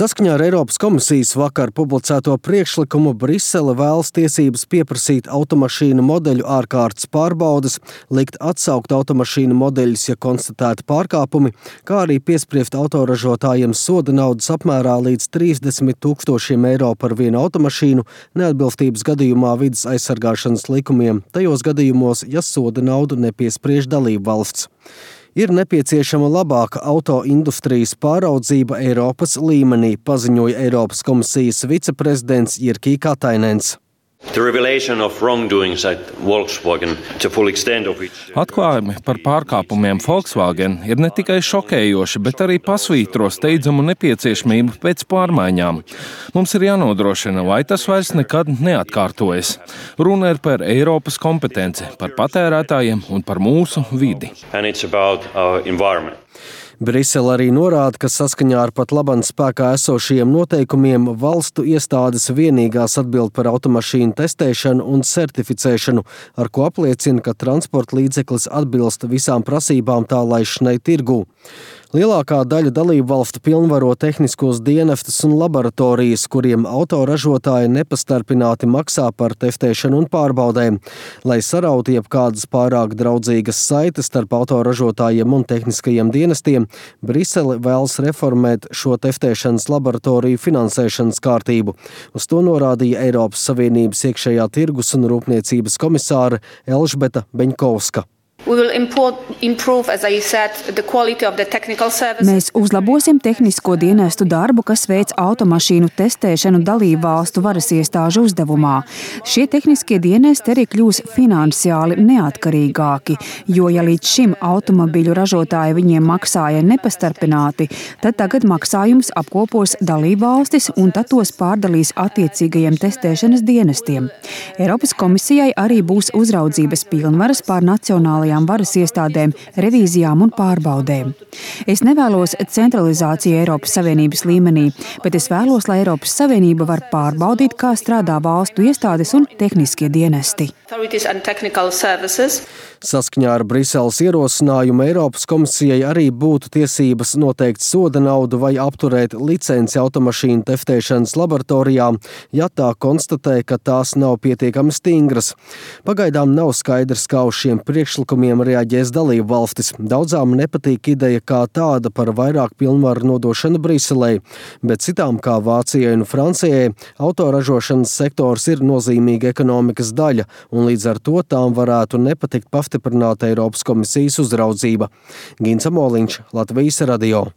Saskaņā ar Eiropas komisijas vakar publicēto priekšlikumu Brisele vēlas tiesības pieprasīt automašīnu modeļu ārkārtas pārbaudes, likt atsaukt automašīnu modeļus, ja konstatēti pārkāpumi, kā arī piespriest autoražotājiem soda naudas apmērā līdz 30 000 eiro par vienu automašīnu neatbilstības gadījumā vides aizsargāšanas likumiem, tajos gadījumos, ja soda naudu nepiespriež dalībvalsts. Ir nepieciešama labāka autoindustrijas pāraudzība Eiropas līmenī, paziņoja Eiropas komisijas viceprezidents Jyrki Katainens. Atklājumi par pārkāpumiem Volkswagen ir ne tikai šokējoši, bet arī pasvītro steidzamu nepieciešamību pēc pārmaiņām. Mums ir jānodrošina, lai tas vairs nekad neatkārtojas. Runa ir par Eiropas kompetenci, par patērētājiem un par mūsu vidi. Brisele arī norāda, ka saskaņā ar pat labam spēkā esošajiem noteikumiem valstu iestādes vienīgās atbild par automašīnu testēšanu un certificēšanu, ar ko apliecina, ka transporta līdzeklis atbilst visām prasībām tā laišanai tirgū. Lielākā daļa dalību valstu pilnvaro tehniskos dienestus un laboratorijas, kuriem autoražotāji nepastarpināti maksā par testēšanu un pārbaudēm. Lai sarautu jebkādas pārāk draudzīgas saites starp autoražotājiem un tehniskajiem dienestiem, Brisele vēlas reformēt šo testēšanas laboratoriju finansēšanas kārtību. Uz to norādīja Eiropas Savienības iekšējā tirgus un rūpniecības komisāre Elžbeta Beņkovska. Mēs uzlabosim tehnisko dienestu darbu, kas veic automašīnu testēšanu dalībvalstu varas iestāžu uzdevumā. Šie tehniskie dienesti arī kļūs finansiāli neatkarīgāki, jo ja līdz šim automobiļu ražotāji viņiem maksāja nepastarpināti, tad tagad maksājums apkopos dalībvalstis un tad tos pārdalīs attiecīgajiem testēšanas dienestiem. Eiropas komisijai arī būs uzraudzības pilnvaras pār nacionālajām varas iestādēm, revīzijām un pārbaudēm. Es nevēlos centralizāciju Eiropas Savienības līmenī, bet es vēlos, lai Eiropas Savienība var pārbaudīt, kā strādā valstu iestādes un tehniskie dienesti. Saskaņā ar Briseles ierosinājumu Eiropas komisijai arī būtu tiesības noteikt soda naudu vai apturēt licenci automašīnu testēšanas laboratorijām, ja tā konstatē, ka tās nav pietiekami stingras. Pagaidām nav skaidrs, kā uz šiem priekšlikumiem reaģēs dalību valstis. Daudzām nepatīk ideja kā tāda par vairāk pilnvaru nodošanu Briselei, bet citām kā Vācijai un Francijai autoražošanas sektors ir nozīmīga ekonomikas daļa, un līdz ar to tām varētu nepatikt pastiprināta Eiropas komisijas uzraudzība. Gints Amoliņš, Latvijas radio.